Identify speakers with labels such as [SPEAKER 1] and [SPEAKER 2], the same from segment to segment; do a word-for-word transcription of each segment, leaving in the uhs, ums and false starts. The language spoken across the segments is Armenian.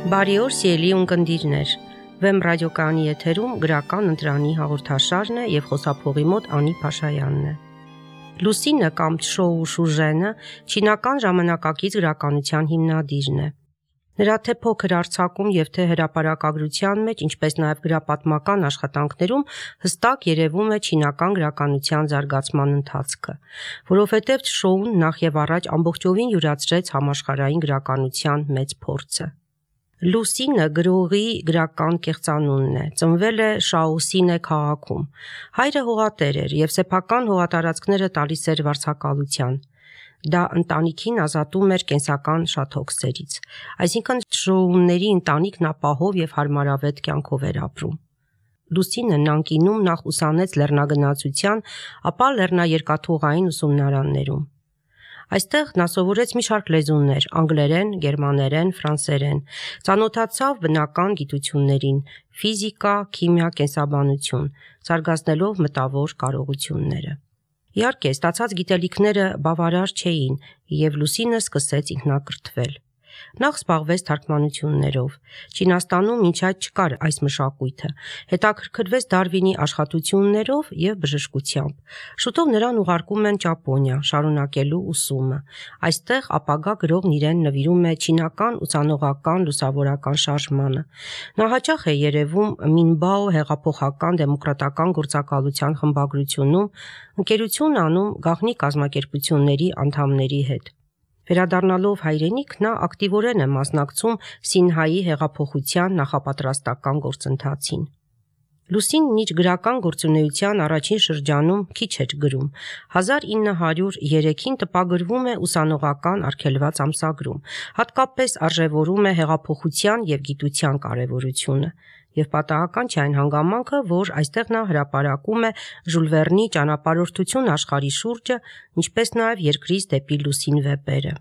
[SPEAKER 1] Բարի օր, սիրելի ունկնդիրներ։ Վեմ ռադիոկայանի եթերում գրական ընտրանի հաղորդաշարն է եւ խոսափողի մոտ Անի Փաշայանն է։ Լուսինը կամ Չշոու Շուժենը չինական ժամանակակից գրականության հիմնադիրն է։ Նրա թե փոքր արձակում եւ թե հրապարակագրության մեջ, ինչպես նաեւ գրապատմական աշխատանքներում հստակ երևում է չինական գրականության զարգացման ընթացքը, որովհետեւ Չշոուն նախ եւ առաջ ամբողջովին յուրացրեց համաշխարհային գրականության մեծ փորձը։ Լուսինը գրողի գրական կեղծանունն է, ծնվել է Շաոսինե քաղաքում։ Հայրը հողատեր էր եւ սեփական հողատարածքները տալիս էր վարձակալության։ Դա ընտանիքին ազատում էր կենսական շատ հոգսերից, այսինքն Չշոուների ընտանիքն ապահով եւ հարմարավետ կյանքով էր ապրում։ Լուսինը Նանկինում նախ ուսանեց լեռնագնացության, ապա լեռնաերկաթուղային ուսումնարաններում։ Այստեղ նա սովորեց մի շարք լեզուներ՝ անգլերեն, գերմաներեն, ֆրանսերեն, ծանոթացավ բնական գիտություններին՝ ֆիզիկա, քիմիա, կենսաբանություն, զարգացնելով մտավոր կարողությունները։ Իհարկե, ստացած գիտելիքները բավարար չէին, եւ Լուսինը սկսեց ինքնակրթվել։ Նախ զբաղվեց թարգմանություններով։ Չինաստանում մինչ այդ չկար այս մշակույթը։ Հետաքրքրվեց Դարվինի աշխատություններով եւ բժշկությամբ։ Շուտով նրան ուղարկում են Ճապոնիա, շարունակելու ուսումը։ Այստեղ ապագա գրողն իրեն նվիրում է չինական ուսանողական լուսավորական շարժմանը։ Նա հաճախ է երևում Մինբաո հեղափոխական դեմոկրատական գործակալության խմբագրությունում, ընկերություն անում գաղտնի կազմակերպությունների անդամների հետ։ Վերադառնալով հայրենիք, նա ակտիվորեն է մասնակցում Սինհայի հեղափոխության նախապատրաստական գործընթացին։ Լուսինն իր գրական գործունեության առաջին շրջանում քիչ էր գրում։ հազար ինը հարյուր երեքին տպագրվում է ուսանողական արգելված ամսագրում, հատկապես արժևորում է հեղափոխության եւ գիտության կարեւորությունը։ Եվ պատահական չէ այն հանգամանքը, որ այստեղ նա հրապարակում է Ժուլ Վերնի ճանապարհորդություն աշխարհի շուրջը, ինչպես նաև Երկրից դեպի լուսին վեպերը։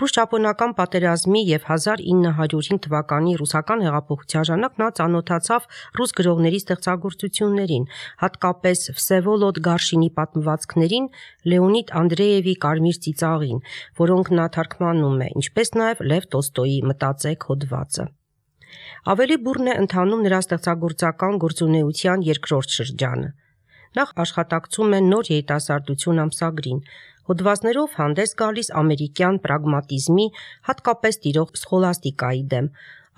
[SPEAKER 1] Ռուս-ճապոնական պատերազմի եւ հազար ինը հարյուր հինգ թվականի ռուսական հեղափոխության ժամանակ նա ծանոթացավ ռուս գրողների ստեղծագործություններին, հատկապես Վսևոլոդ Գարշինի պատմվածքներին, Լեոնիդ Անդրեևի Կարմիր ծիծաղին, որոնք նա թարգմանում է, ինչպես նաև Լև Տոլստոյի Մտածեք հոդվածը։ Ավելի բուռն է ընթանում նրա ստեղծագործական գործունեության երկրորդ շրջանը։ Նախ աշխատակցում է Նոր երիտասարդություն ամսագրին, հոդվածներով հանդես գալիս ամերիկյան պրագմատիզմի, հատկապես տիրող սխոլաստիկայի դեմ,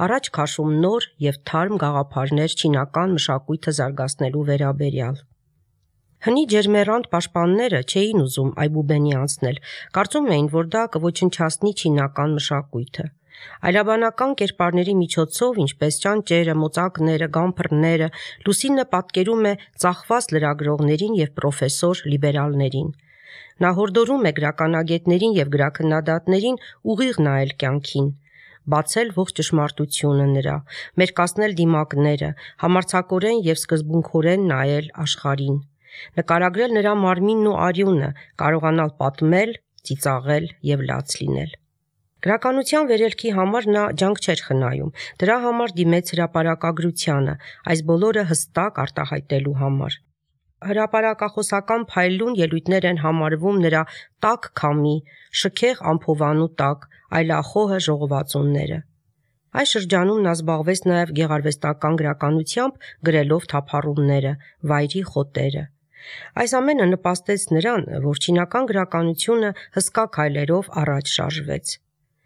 [SPEAKER 1] առաջ քաշում նոր եւ թարմ գաղափարներ չինական մշակույթը զարգացնելու վերաբերյալ։ Հնի ջերմեռանդ պաշտպանները չէին ուզում Այբուբենի անցնել, կարծում էին, որ դա կոչնչացնի չինական մշակույթը։ Այլաբանական կերպարների միջոցով, ինչպես ճանճերը, մոծակները, գամփրները, Լուսինը պատկերում է ծախված լրագրողներին եւ պրոֆեսոր լիբերալներին։ Նա հորդորում է գրականագետներին եւ գրաքննադատներին ուղիղ նայել կյանքին, բացել ողջ ճշմարտությունը նրա, մերկացնել դիմակները, համարձակորեն եւ սկզբունքորեն նայել աշխարհին, նկարագրել նրա մարմինն ու արյունը, կարողանալ պատմել, ծիծաղել եւ լաց լինել։ Գրականության վերելքի համար նա ջանք չէր խնայում, դրա համար դիմեց հրապարակագրությանը, այս բոլորը հստակ արտահայտելու համար։ Հրապարակախոսական փայլուն ելույթներ են համարվում նրա տաք քամի, շքեղ ամփովանու տակ, այլախոհը ժողովածունները։ Այս շրջանում նա զբաղվեց նաև գեղարվեստական գրականությամբ, գրելով թափառումները, վայրի խոտերը։ Այս ամենը նպաստեց նրան, որ չինական գրականությունը հսկա քայլերով առաջ շարժվեց։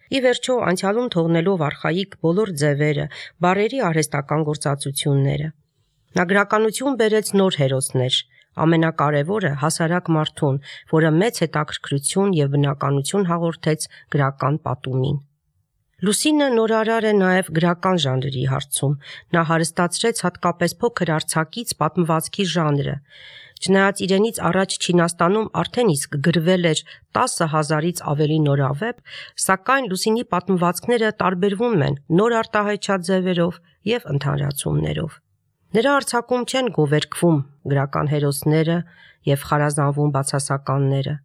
[SPEAKER 1] Ի վերջո, անցյալում թողնելով արխայիկ բոլոր ձևերը, բառերի արհեստական գործածությունները։ Նա գրականություն բերեց նոր հերոսներ, ամենակարևորը հասարակ մարդուն, որը մեծ հետաքրքրություն եւ բնականություն հաղորդեց գրական պատումին։ Լուսինը նորարար է նաև գրական ժանրի հարցում, նա հարստացրեց հատկապես փոքր արձակից պատմվածքի ժանրը։ Չնայած իրենից առաջ Չինաստանում արդեն իսկ գրվել էր տասը հազարից ավելի նորավեպ, սակայն Լուսինի պատմվածքները տարբերվում են նոր արտահայտչած ձևերով եւ ընդհանրացումներով։ Նրա արձակում չեն գովերգվում գրական հերոսները եւ խարազանվում բացասականները։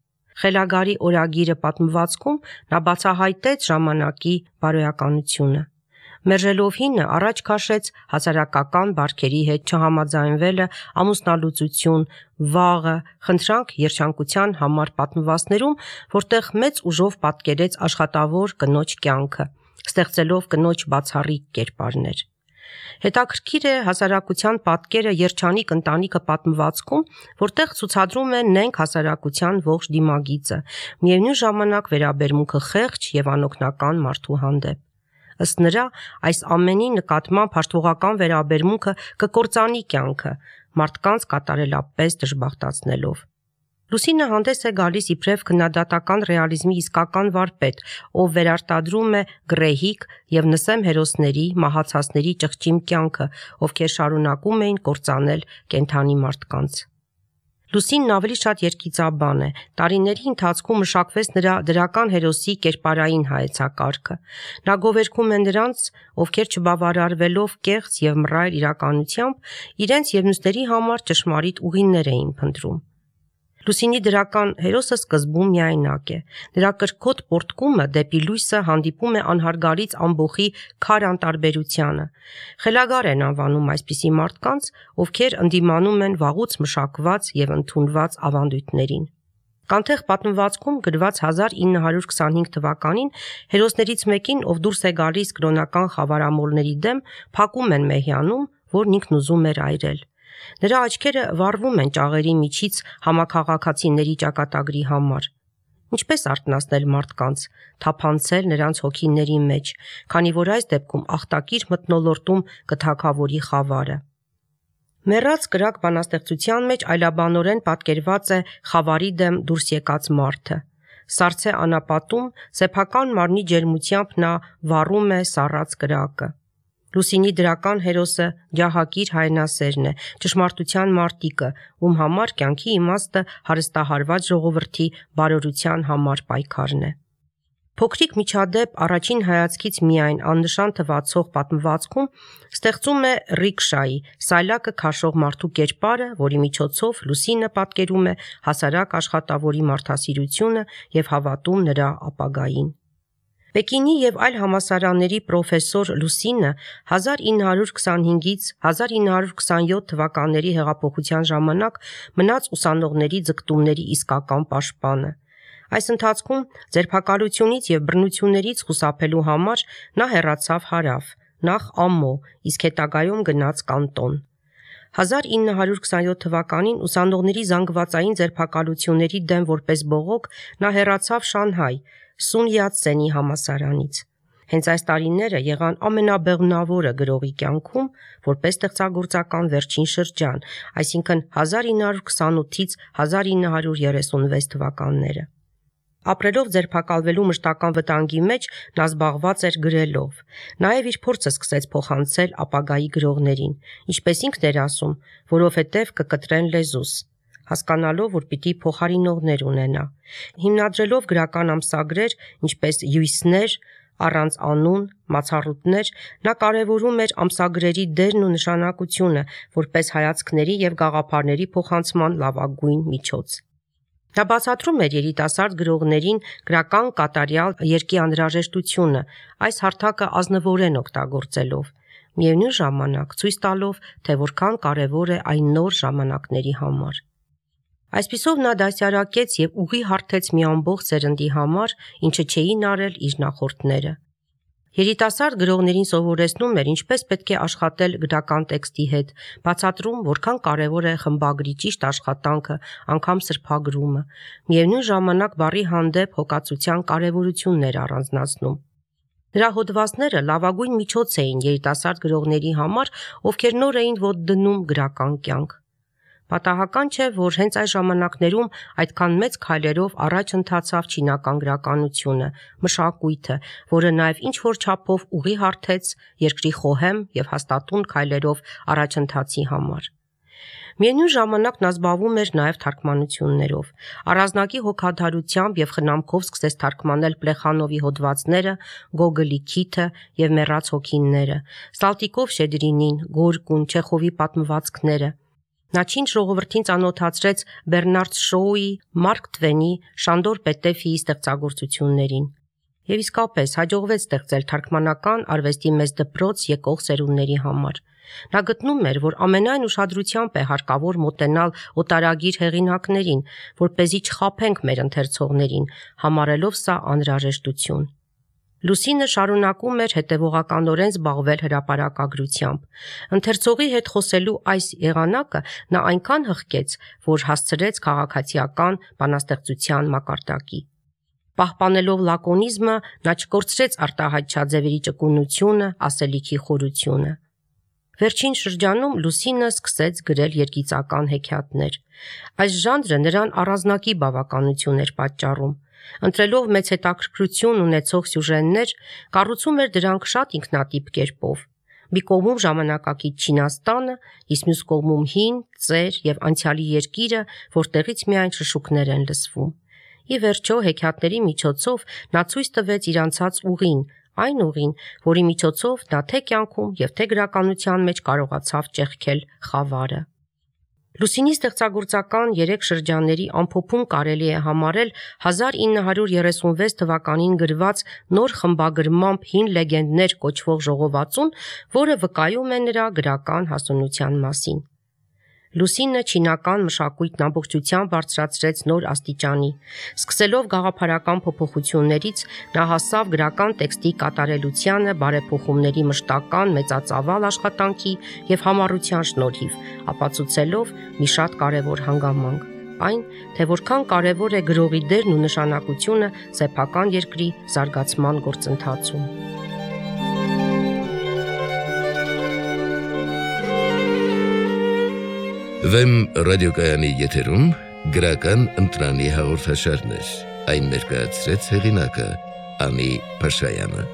[SPEAKER 1] Խելագարի օրագիրը պատմվածքում նա բացահայտեց ժամանակի բարոյականությունը։ Մերժելով հինը առաջ քաշեց հասարակական բարքերի հետ չհամաձայնվելը, ամուսնալուծություն, վաղը, խնդրանք երջանկության համար պատմվածներում, որտեղ մեծ ուժով պատկերեց աշխատավոր կնոջ կյանքը, ստեղծելով կնոջ բացառիկ կերպարներ։ Հետաքրքիր է հասարակության պատկերը երջանիկ ընտանիքը պատմվածքում, որտեղ ցուցադրում է նենգ հասարակության ողջ դիմագիծը, միևնույն ժամանակ վերաբերմունքը խեղճ եւ անօգնական մարդու հանդեպ։ Ըստ նրա, այս ամենի նկատմամբ հաշտվողական վերաբերմունքը կկործանի կյանքը, մարդկանց կատարելապես դժբախտացնելով։ Լուսինը հանդես է գալիս իբրև քննադատական ռեալիզմի իսկական վարպետ, ով վերարտադրում է գռեհիկ եւ նսեմ հերոսների, մահացածների ճղճիմ կյանքը, ովքեր շարունակում էին կործանել կենդանի մարդկանց։ Լուսինն ավելի շատ երգիծաբան է, տարիների ընթացքում մշակվեց նրա դրական հերոսի կերպարային հայեցակարգը։ Նա գովերգում է նրանց, ովքեր չբավարարվելով կեղծ եւ մռայլ իրականությամբ, իրենց եւ մյուսների համար ճշմարիտ ուղիներ էին փնտրում։ Լուսինի դրական հերոսը սկզբում միայնակ է։ Նրա կրքոտ պոռթկումը դեպի լույսը հանդիպում է անհարգալից ամբոխի քար անտարբերությանը։ Խելագար են անվանում այսպիսի մարդկանց, ովքեր ընդդիմանում են վաղուց մշակված եւ ընդունված ավանդույթներին։ Կանթեղ պատմվածքում գրված հազար ինը հարյուր քսանհինգ թվականին հերոսներից մեկին, ով դուրս է գալիս կրոնական խավարամոլների դեմ, փակում են մեհյանում, որն ինքն ուզում էր այրել։ Նրա աչքերը վառվում են ճաղերի միջից համաքաղաքացիների ճակատագրի համար։ Ինչպես արթնացնել մարդկանց, թափանցել նրանց հոգիների մեջ, քանի որ այս դեպքում ախտակիր մթնոլորտում կթագավորի խավարը։ Մեռած կրակ բանաստեղծության մեջ այլաբանորեն պատկերված է խավարի դեմ դուրս եկած մարդը։ Սառցե անապատում սեփական մարմնի ջերմությամբ նա վառում է սառած կրակը։ Լուսինի դրական հերոսը ջահակիր հայրենասերն է, ճշմարտության մարտիկը, ում համար կյանքի իմաստը հարստահարված ժողովրդի բարօրության համար պայքարն է։ Փոքրիկ միջադեպ առաջին հայացքից միայն աննշան թվացող պատմվածքում ստեղծում է ռիկշայի, սայլակը քաշող մարդու կերպարը, որի միջոցով Լուսինը պատկերում է հասարակ աշխատավորի մարդասիրությունը եւ հավատում նրա ապագային։ Պեկինի եւ այլ համալսարանների պրոֆեսոր Լուսինը հազար ինը հարյուր քսանհինգից հազար ինը հարյուր քսանյոթ թվականների հեղափոխության ժամանակ մնաց ուսանողների ձգտումների իսկական պաշտպանը։ Այս ընթացքում ձերբակալությունից եւ բռնություններից խուսափելու համար նա հեռացավ հարավ, նախ Ամմո, իսկ հետագայում գնաց Կանտոն։ հազար ինը հարյուր քսանյոթ թվականին ուսանողների զանգվածային ձերբակալությունների դեմ որպես բողոք նա հեռացավ Շանհայ, Սուն Յատ-սենի համալսարանից։ Հենց այս տարիները եղան ամենաբեղմնավորը գրողի կյանքում, որպես ստեղծագործական վերջին շրջան, այսինքն հազար ինը հարյուր քսանութից հազար ինը հարյուր երեսունվեց թվականները։ Ապրելով ձերբակալվելու մշտական վտանգի մեջ նա զբաղված էր գրելով։ Նաև իր փորձը սկսեց փոխանցել ապագայի գրողներին, ինչպես ինքն էր ասում, որովհետև կկտրեն լեզուս, հասկանալով, որ պիտի փոխարինողներ ունենա։ Հիմնադրելով գրական ամսագրեր, ինչպես Յուիսներ, առանց անուն, մացառուտներ, նա կարևորում էր ամսագրերի դերն ու նշանակությունը, որպես հայացքների եւ գաղափարների փոխանցման լավագույն միջոց։ Նա բացատրում էր երիտասարդ գրողներին գրական կատարյալ երկի անհրաժեշտությունը, այս հարթակը ազնվորեն օգտագործելով, միևնույն ժամանակ ցույց տալով, թե որքան կարևոր է այն նոր ժամանակների համար։ Այսպիսով նա դասյարակեց եւ ուղի հարթեց մի ամբողջ սերնդի համար, ինչը չէին արել իր նախորդները։ Երիտասարդ գրողներին սովորեցնում էր ինչպես պետք է աշխատել գրական տեքստի հետ, բացատրում, որքան կարևոր է խմբագրի ճիշտ աշխատանքը, անգամ սրբագրումը, միևնույն ժամանակ բառի հանդեպ հոգացության կարևորությունն էր առանձնացնում։ Նրա հոդվածները լավագույն միջոց էին երիտասարդ գրողների համար, ովքեր նոր էին ոտ դնում գրական կյանք։ Պատահական չէ, որ հենց այս ժամանակներում այդքան մեծ քայլերով առաջ ընթացավ չինական գրականությունը, մշակույթը, որը նաև ինչ-որ չափով ուղի հարթեց երկրի խոհեմ եւ հաստատուն քայլերով առաջընթացի համար։ Միևնույն ժամանակ նա զբաղվում էր նաև թարգմանություններով։ Առանձնակի հոգադարությամբ եւ խնամքով սկսեց թարգմանել Պլեխանովի հոդվածները, Գոգոլի Քիթը եւ Մեռած հոգիները, Սալտիկով Շեդրինին, Գորկուն, Չեխովի պատմվածքները։ Նա չինչ ժողովրդին ծանոթացրեց Բեռնարդ Շոուի, Մարկ Թվենի, Շանդոր Պետեֆիի ստեղծագործություններին։ Եվ իսկապես հաջողվեց ստեղծել թարգմանական արվեստի մեծ դպրոց եկող սերունդների համար։ Նա գտնում էր, որ ամենայն ուշադրությամբ է հարկավոր մոտենալ օտարագիր հեղինակներին, որպեսզի չխաբենք մեր ընթերցողներին, համարելով սա անհրաժեշտություն։ Լուսինը շարունակում էր հետևողականորեն զբաղվել հրապարակագրությամբ։ Ընթերցողի հետ խոսելու այս եղանակը նա այնքան հղկեց, որ հասցրեց քաղաքացիական բանաստեղծության մակարդակի։ Պահպանելով լակոնիզմը, նա չկորցրեց արտահայտչաձևերի ճկունությունը, ասելիքի խորությունը։ Վերջին շրջանում Լուսինը սկսեց գրել երգիծական հեքիաթներ։ Այս ժանրը նրան առանձնակի բավականություն էր պատճառում։ Ընտրելով մեծ հետաքրքրություն ունեցող սյուժեներ, կառուցում էր դրանք շատ ինքնատիպ կերպով։ Մի կողմում ժամանակակից Չինաստանը, իսկ մյուս կողմում հին, ծեր եւ անցյալի երկիրը, որտեղից միայն շշուկներ են լսվում։ Ի վերջո հեքիաթների միջոցով նա ցույց տվեց իր անցած ուղին, այն ուղին, որի միջոցով նա թե կյանքում եւ թե գրականության մեջ կարողացավ ճեղքել խավարը։ Լուսինի ստեղծագործական երեք շրջանների ամփոփում կարելի է համարել հազար ինը հարյուր երեսունվեց թվականին գրված նոր խմբագրմամբ հին լեգենդներ կոչվող ժողովածուն, որը վկայում է նրա գրական հասունության մասին։ Լուսինը չինական մշակույթն ամբողջությամբ բարձրացրեց նոր աստիճանի։ Սկսելով գաղափարական փոփոխություններից, նա հասավ գրական տեքստի կատարելությանը բարեփոխումների մշտական մեծածավալ աշխատանքի եւ համառության շնորհիվ, ապացուցելով մի շատ կարևոր հանգամանք, այն, թե որքան կարևոր է գրողի դերն ու նշանակությունը սեփական երկրի զարգացման գործընթացում։
[SPEAKER 2] Վեմ ռադիոկայանի եթերում գրական ընտրանի հաղորդաշարներ, այն ներկայացրեց հեղինակը Անի Փաշայանը։